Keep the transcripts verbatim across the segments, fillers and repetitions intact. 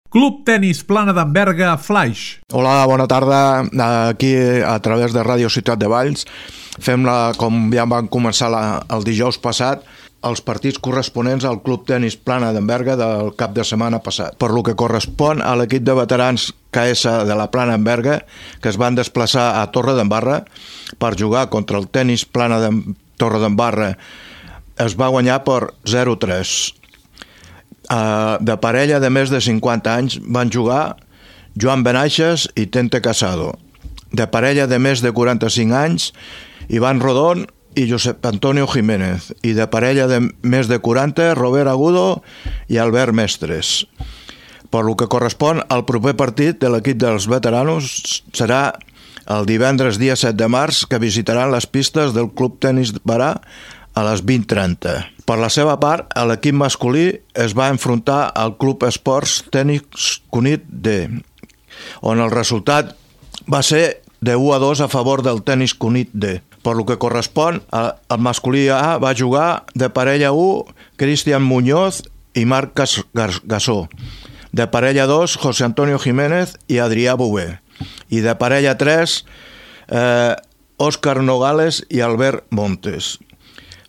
Club Tenis Plana d'en Berga, Flaix. Hola, bona tarda. Aquí, a través de Ràdio Ciutat de Valls, fem-la, com ja van començar la, el dijous passat, els partits corresponents al Club Tenis Plana d'en Berga del cap de setmana passat. Per lo que correspon a l'equip de veterans K S de la Plana d'en Berga, que es van desplaçar a Torredembarra per jugar contra el Tenis Plana de Torredembarra, es va guanyar per zero a tres. Uh, de parella de més de cinquanta anys van jugar Joan Benaixes i Tente Casado. De parella de més de quaranta-cinc anys, Ivan Rodón i Josep Antonio Jiménez. I de parella de més de quaranta, Robert Agudo i Albert Mestres. Per lo que correspon al proper partit de l'equip dels veteranos serà el divendres dia set de març, que visitaran les pistes del Club Tenis Barà a les vint trenta. Per la seva part, l'equip masculí es va enfrontar al Club Esports Tenis Cunit D, on el resultat va ser de u a dos a favor del Tenis Cunit D. Per lo que correspon, el masculí A va jugar de parella u Cristian Muñoz i Marc Gassó, de parella dos José Antonio Jiménez i Adrià Bové, i de parella tres eh, Òscar Nogales i Albert Montes.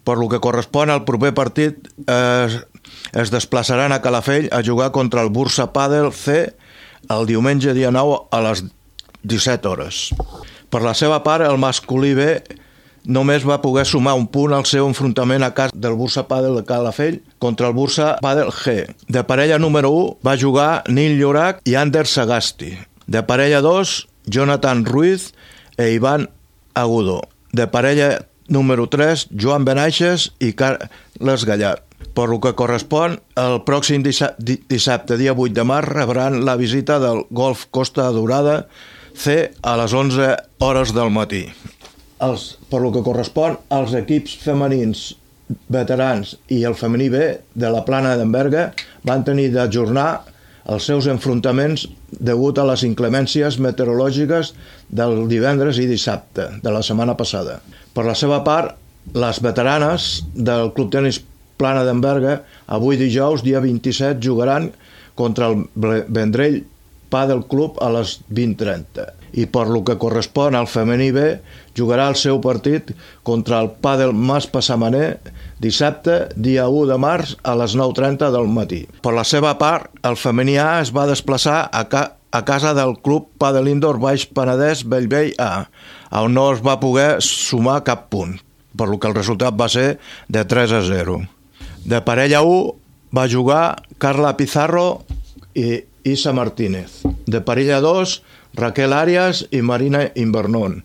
Per lo que correspon al proper partit, eh, es desplaçaran a Calafell a jugar contra el Bursa Padel C el diumenge dia nou a les disset hores. Per la seva part, el masculí B només va poder sumar un punt al seu enfrontament a casa del Bursa Padel de Calafell contra el Bursa Padel G. De parella número u va jugar Nil Llorac i Ander Sagasti. De parella dos, Jonathan Ruiz e Ivan Agudo. De parella número tres, Joan Benaixes i Carles Gallart. Per lo que correspon, el pròxim dissabte, dia vuit de març, rebran la visita del Golf Costa Daurada C a les onze hores del matí. Els, per lo que correspon als equips femenins veterans i el femení B de la Plana d'en Berga van tenir d'ajornar els seus enfrontaments degut a les inclemències meteorològiques del divendres i dissabte de la setmana passada. Per la seva part, les veteranes del Club Tenis Plana d'en Berga avui dijous, dia vint-i-set, jugaran contra el Vendrell Padel Club a les vint trenta. I per lo que correspon al femení B, jugarà el seu partit contra el Padel Mas Passamaner dissabte, dia u de març, a les nou trenta del matí. Per la seva part, el femení A es va desplaçar a, ca a casa del Club Padel Indoor Baix Penedès Bellvei A, on no es va poder sumar cap punt, per lo que el resultat va ser de tres a zero. De parella u va jugar Carla Pizarro i Isa Martínez. De parella dos, Raquel Arias i Marina Invernón.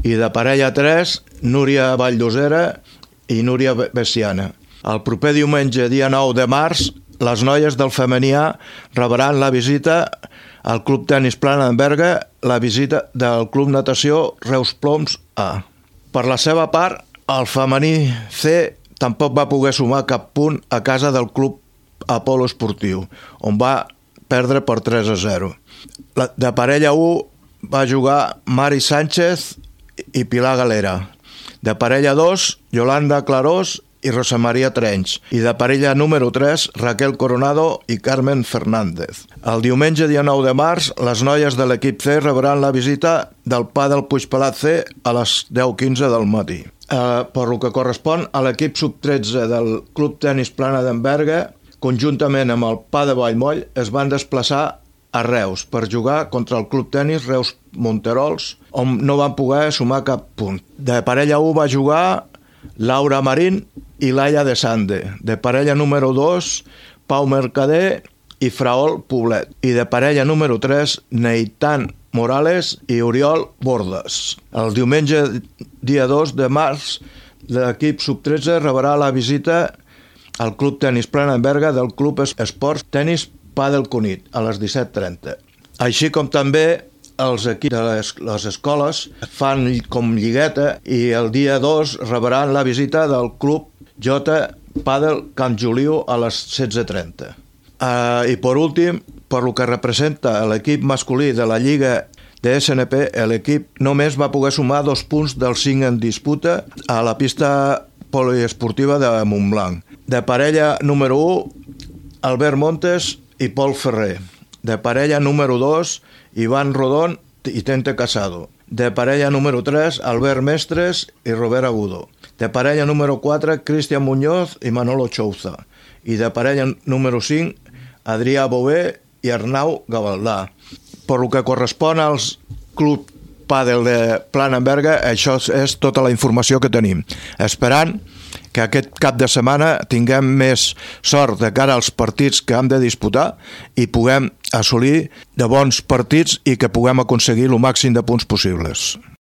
I de parella tres, Núria Valldosera i Núria Bessiana. El proper diumenge, dia nou de març, les noies del femení A rebran la visita al Club Tenis Plana d'en Berga, la visita del Club Natació Reus Ploms A. Per la seva part, el femení C tampoc va poder sumar cap punt a casa del Club Apolo Esportiu, on va perdre per tres a zero. De parella u va jugar Mari Sánchez i Pilar Galera. De parella dos, Yolanda Clarós i Rosa Maria Trench. I de parella número tres, Raquel Coronado i Carmen Fernández. El diumenge, dia nou de març, les noies de l'equip C rebran la visita del Padel Puigpelat C a les deu quinze del matí. Eh, per lo que correspon a l'equip sub tretze del Club Tenis Plana d'en Berga, conjuntament amb el Pa de Vallmoll, es van desplaçar a Reus per jugar contra el Club Tenis Reus Monterols, on no van poder sumar cap punt. De parella u va jugar Laura Marín i Laia de Sande. De parella número dos, Pau Mercader i Fraol Poblet. I de parella número tres, Neitan Morales i Oriol Bordes. El diumenge, dia dos de març, l'equip sub tretze rebrà la visita al Club Tenis Plana d'en Berga del Club Esports Tenis Padel Cunit a les disset trenta. Així com també els equips de les, les escoles fan com lligueta i el dia dos rebran la visita del Club J Padel Camp Juliu a les setze trenta. Uh, I per últim, per lo que representa l'equip masculí de la Lliga de S N P, l'equip només va poder sumar dos punts dels cinc en disputa a la pista poliesportiva de Montblanc. De parella número u, Albert Montes i Pol Ferrer. De parella número dos, Iván Rodón i Tente Casado. De parella número tres, Albert Mestres i Robert Agudo. De parella número quatre, Cristian Muñoz i Manolo Chouza. I de parella número cinc, Adrià Bové i Arnau Gavaldà. Per lo que correspon als Club Pàdel de Plana-en-Berga, això és tota la informació que tenim. Esperant que aquest cap de setmana tinguem més sort de cara als partits que hem de disputar i puguem assolir de bons partits i que puguem aconseguir el màxim de punts possibles.